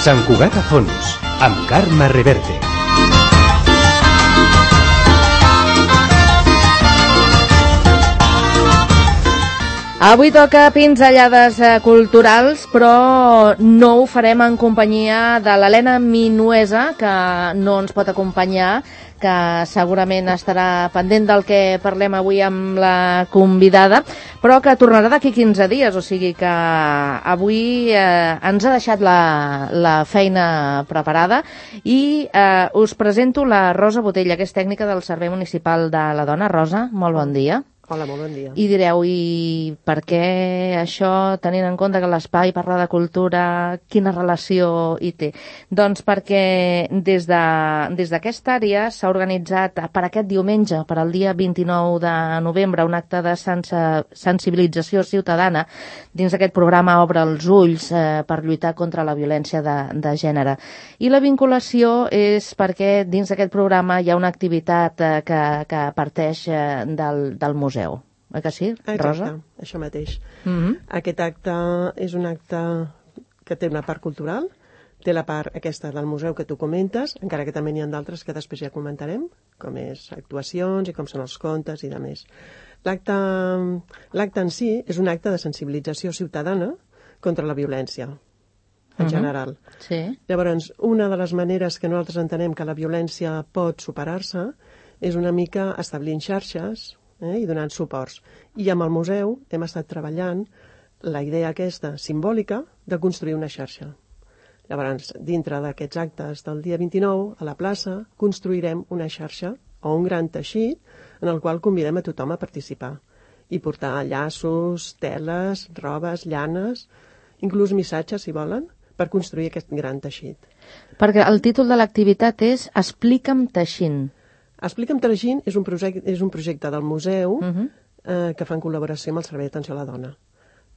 Sant Cugat a fons, amb Carme Reverte. Avui toca pinzellades culturals, però no ho farem en companyia de l'Helena Minuesa, que no ens pot acompanyar, que segurament estarà pendent del que parlem avui amb la convidada, però que tornarà d'aquí 15 dies, o sigui que avui ens ha deixat la feina preparada i us presento la Rosa Botella, que és tècnica del Servei Municipal de la Dona. Rosa, molt bon dia. Hola, molt bon dia. I direu, i per què això, tenint en compte que l'espai parla de cultura, quina relació hi té? Doncs perquè des d'aquesta àrea s'ha organitzat per aquest diumenge, per al dia 29 de novembre, un acte de sensibilització ciutadana dins d'aquest programa Obre els ulls per lluitar contra la violència de gènere. I la vinculació és perquè dins d'aquest programa hi ha una activitat que parteix del museu. Eh que sí, Rosa? Exacte, això mateix. Aquest acte és un acte que té una part cultural, té la part aquesta del museu que tu comentes, encara que també n'hi ha d'altres que després ja comentarem, com és actuacions i com són els contes i demés. L'acte en si és un acte de sensibilització ciutadana contra la violència, en general. Sí. Llavors, una de les maneres que nosaltres entenem que la violència pot superar-se és una mica establint xarxes i donant suports. I amb el museu hem estat treballant la idea aquesta simbòlica de construir una xarxa. Llavors, dintre d'aquests actes del dia 29, a la plaça, construirem una xarxa o un gran teixit en el qual convidem a tothom a participar i portar llaços, teles, robes, llanes, inclús missatges, si volen, per construir aquest gran teixit. Perquè el títol de l'activitat és Explica'm teixint. Explica'm teixint és un projecte del museu que fa en col·laboració amb el Servei d'Atenció a la Dona.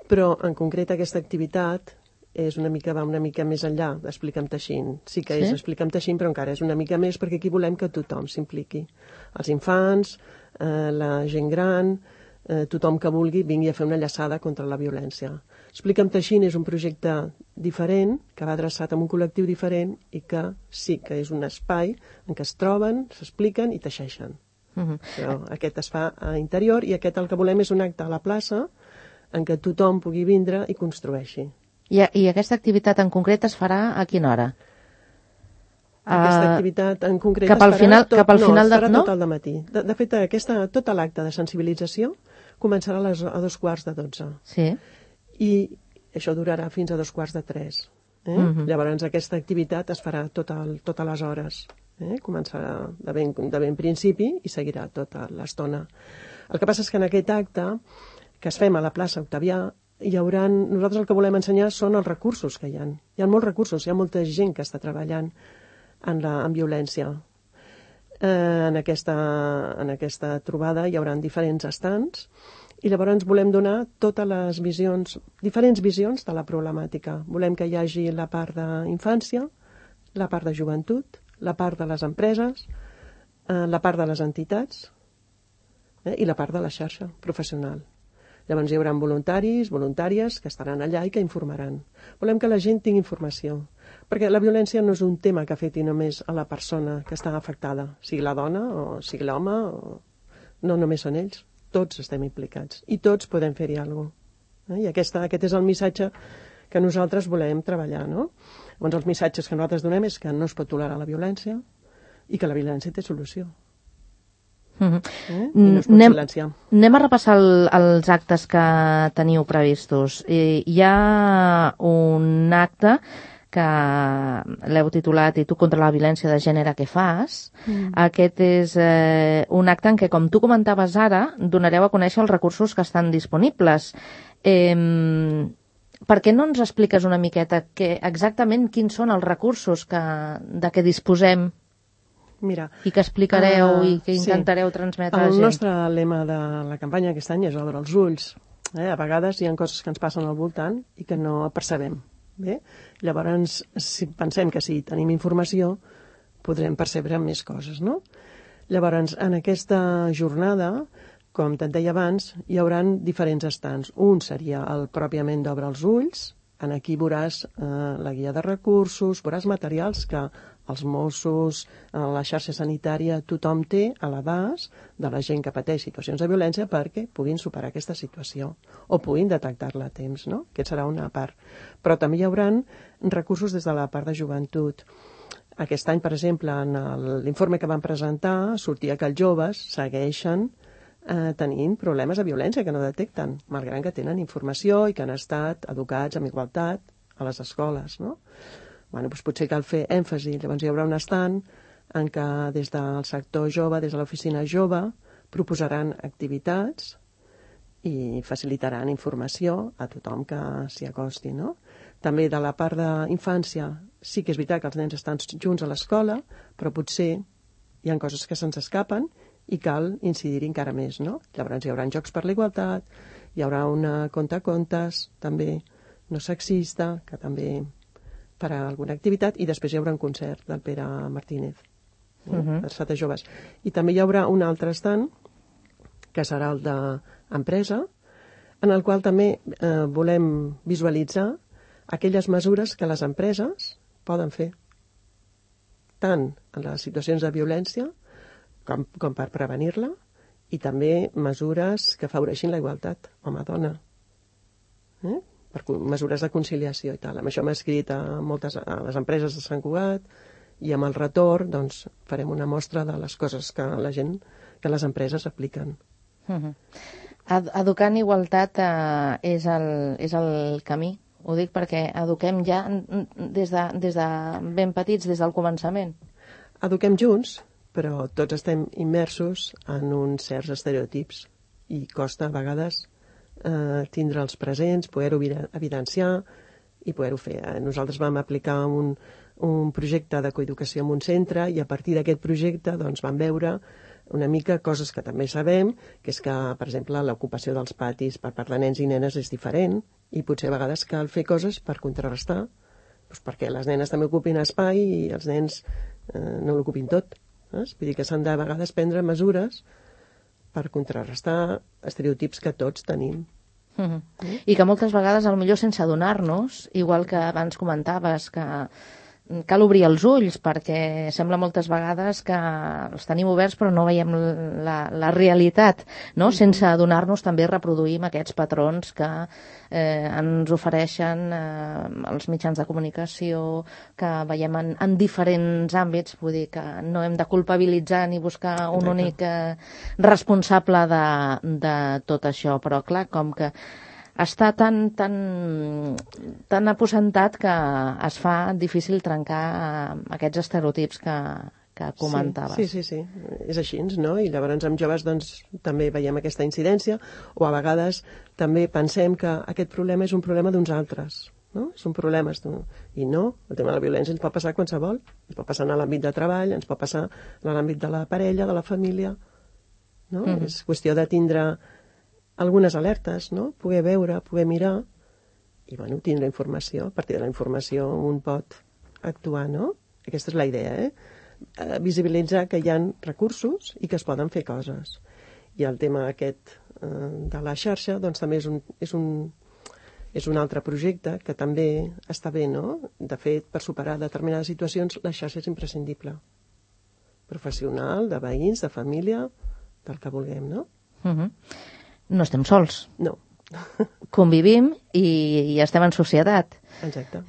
Però, en concret, aquesta activitat va una mica més enllà d'Explica'm teixint. Sí que és Explica'm teixint, però encara és una mica més perquè aquí volem que tothom s'impliqui. Els infants, la gent gran, tothom que vulgui vingui a fer una llaçada contra la violència. Explica'm teixint és un projecte diferent, que va adreçat a un col·lectiu diferent i que sí que és un espai en què es troben, s'expliquen i teixeixen. Però aquest es fa a interior i aquest el que volem és un acte a la plaça en què tothom pugui vindre i construeixi. I aquesta activitat en concret es farà a quina hora? Aquesta activitat en concret es farà tot el dematí. De fet, tot l'acte de sensibilització començarà a 2:45. Sí. I això durarà fins a 2:45. Llavors aquesta activitat es farà totes les hores. Començarà de ben principi i seguirà tota l'estona. El que passa és que en aquest acte que es fem a la plaça Octavià nosaltres el que volem ensenyar són els recursos que hi ha. Hi ha molts recursos, hi ha molta gent que està treballant en violència. En aquesta trobada hi haurà diferents estants i llavors volem donar totes les visions, diferents visions de la problemàtica. Volem que hi hagi la part d'infància, la part de joventut, la part de les empreses, la part de les entitats i la part de la xarxa professional. Llavors hi haurà voluntaris, voluntàries que estaran allà i que informaran. Volem que la gent tingui informació, perquè la violència no és un tema que afecti només a la persona que està afectada, sigui la dona o sigui l'home, no només són ells, tots estem implicats i tots podem fer-hi alguna cosa. I aquest és el missatge que nosaltres volem treballar, no? Llavors els missatges que nosaltres donem és que no es pot tolerar la violència i que la violència té solució. No es pot silenciar. Anem a repassar els actes que teniu previstos. Hi ha un acte que l'heu titulat I tu contra la violència de gènere què fas. Aquest és un acte en què, com tu comentaves ara, donareu a conèixer els recursos que estan disponibles. Per què no ens expliques una miqueta exactament quins són els recursos de què disposem? Mira, i que explicareu i que intentareu transmetre a la gent. El nostre lema de la campanya aquest any és Obre els ulls. A vegades hi ha coses que ens passen al voltant i que no percebem. Llavors, si pensem que si tenim informació, podrem percebre més coses, no? Llavors, en aquesta jornada, com te'n deia abans, hi haurà diferents estants. Un seria el pròpiament d'Obre els ulls, Aquí veuràs la guia de recursos, veuràs materials que els Mossos, la xarxa sanitària, tothom té a l'abast de la gent que pateix situacions de violència perquè puguin superar aquesta situació o puguin detectar-la a temps, no? Aquest serà una part. Però també hi haurà recursos des de la part de joventut. Aquest any, per exemple, en l'informe que van presentar, sortia que els joves segueixen tenint problemes de violència que no detecten, malgrat que tenen informació i que han estat educats amb igualtat a les escoles, no? Doncs potser cal fer èmfasi. Llavors hi haurà un estand en què des del sector jove, des de l'oficina jove, proposaran activitats i facilitaran informació a tothom que s'hi acosti, no? També de la part d'infància sí que és veritat que els nens estan junts a l'escola, però potser hi ha coses que se'ns escapen i cal incidir-hi encara més, no? Llavors hi haurà jocs per la igualtat, hi haurà una contacontes, també no sexista, que també farà alguna activitat, i després hi haurà un concert del Pere Martínez, adreçat a joves. I també hi haurà un altre stand, que serà el d'empresa, en el qual també volem visualitzar aquelles mesures que les empreses poden fer, tant en les situacions de violència com per prevenir-la, i també mesures que afavoreixin la igualtat home-dona, per mesures de conciliació i tal. Amb això hem escrit a les empreses de Sant Cugat i amb el retorn doncs, farem una mostra de les coses que les empreses apliquen. Educar en igualtat és el camí. Ho dic perquè eduquem ja des de ben petits, des del començament. Eduquem junts, però tots estem immersos en uns certs estereotips i costa a vegades tindre'ls presents, poder-ho evidenciar i poder-ho fer. Nosaltres vam aplicar un projecte de coeducació en un centre i a partir d'aquest projecte doncs, vam veure una mica coses que també sabem, que és que, per exemple, l'ocupació dels patis per part de nens i nenes és diferent i potser a vegades cal fer coses per contrarrestar, doncs perquè les nenes també ocupin espai i els nens no l'ocupin tot. Vull dir que s'han de a vegades prendre mesures per contrarrestar estereotips que tots tenim. I que moltes vegades, potser sense adonar-nos, igual que abans comentaves, que cal obrir els ulls, perquè sembla moltes vegades que els tenim oberts però no veiem la realitat, no? Sense adonar-nos també reproduïm aquests patrons que ens ofereixen els mitjans de comunicació, que veiem en diferents àmbits. Vull dir que no hem de culpabilitzar ni buscar un únic responsable de tot això, però clar, com que està tan aposentat que es fa difícil trencar aquests estereotips que comentaves. Sí, és així, no? I llavors amb joves doncs, també veiem aquesta incidència, o a vegades també pensem que aquest problema és un problema d'uns altres, no? És un problema, i no, el tema de la violència ens pot passar qualsevol, ens pot passar en l'àmbit de treball, ens pot passar en l'àmbit de la parella, de la família, no? És qüestió de tindre algunes alertes, no? Poder veure, poder mirar i, tindre informació. A partir de la informació un pot actuar, no? Aquesta és la idea, visibilitzar que hi ha recursos i que es poden fer coses. I el tema aquest de la xarxa, doncs també és un altre projecte que també està bé, no? De fet, per superar determinades situacions, la xarxa és imprescindible. Professional, de veïns, de família, del que vulguem, no? No estem sols. No. Convivim i estem en societat. Exacte.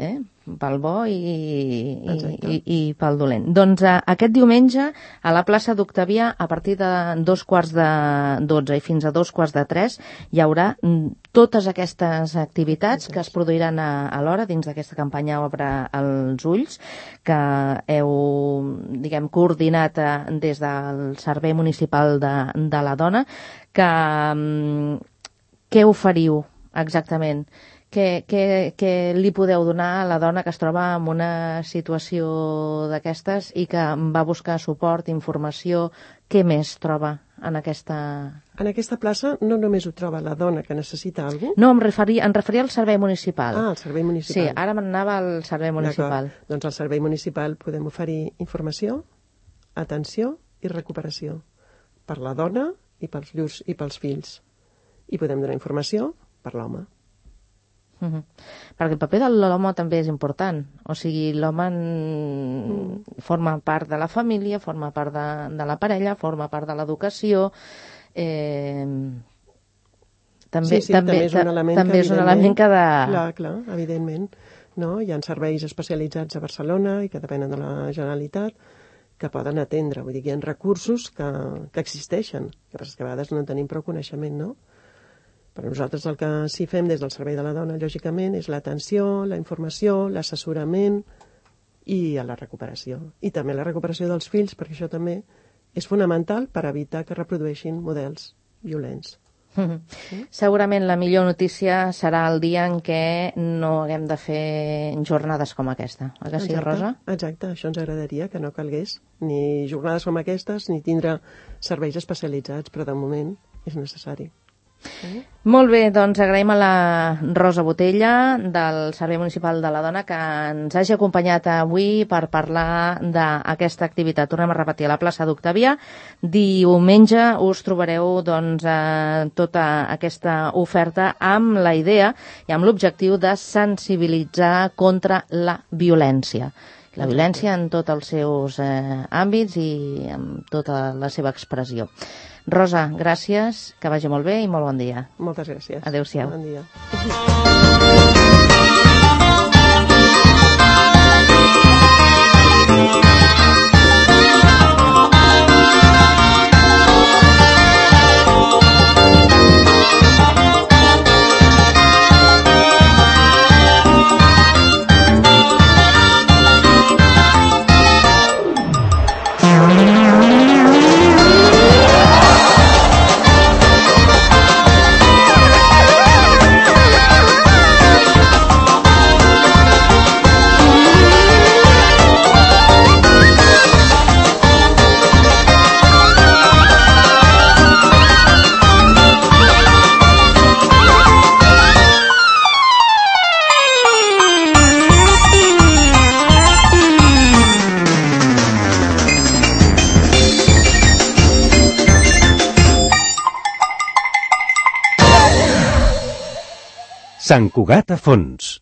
Pel bo i pel dolent. Doncs aquest diumenge a la plaça d'Octavià, a partir de 2:15 i fins a 2:45, hi haurà totes aquestes activitats que es produiran alhora dins d'aquesta campanya Obre els ulls, que heu, coordinat des del Servei Municipal de la Dona. Què oferiu exactament? Què li podeu donar a la dona que es troba en una situació d'aquestes i que va buscar suport, informació? Què més troba en aquesta... En aquesta plaça no només ho troba la dona que necessita alguna cosa? No, em referia al servei municipal. Ah, al servei municipal. Sí, ara m'anava al servei municipal. Doncs al servei municipal podem oferir informació, atenció i recuperació per la dona i pels fills. I podem donar informació per l'home. Perquè el paper de l'home també és important. O sigui, l'home forma part de la família, forma part de la parella, forma part de l'educació. També és un element que Clar, evidentment. No? Hi ha serveis especialitzats a Barcelona i que depenen de la Generalitat que poden atendre. Vull dir que hi ha recursos que existeixen. Que passa que a vegades no en tenim prou coneixement, no? Però nosaltres el que sí fem des del Servei de la Dona, lògicament, és l'atenció, la informació, l'assessorament i la recuperació. I també la recuperació dels fills, perquè això també és fonamental per evitar que reprodueixin models violents. Segurament la millor notícia serà el dia en què no haguem de fer jornades com aquesta. Oi que sí, Rosa? Exacte, això ens agradaria, que no calgués ni jornades com aquestes ni tindre serveis especialitzats, però de moment és necessari. Molt bé, doncs agraïm a la Rosa Botella del Servei Municipal de la Dona que ens hagi acompanyat avui per parlar d'aquesta activitat. Tornem a repetir, a la plaça d'Octavià. Diumenge us trobareu doncs, tota aquesta oferta amb la idea i amb l'objectiu de sensibilitzar contra la violència. La violència en tots els seus àmbits i en tota la seva expressió. Rosa, gràcies, que vagi molt bé i molt bon dia. Moltes gràcies. Adéu-siau. Bon dia. Sant Cugat a fons.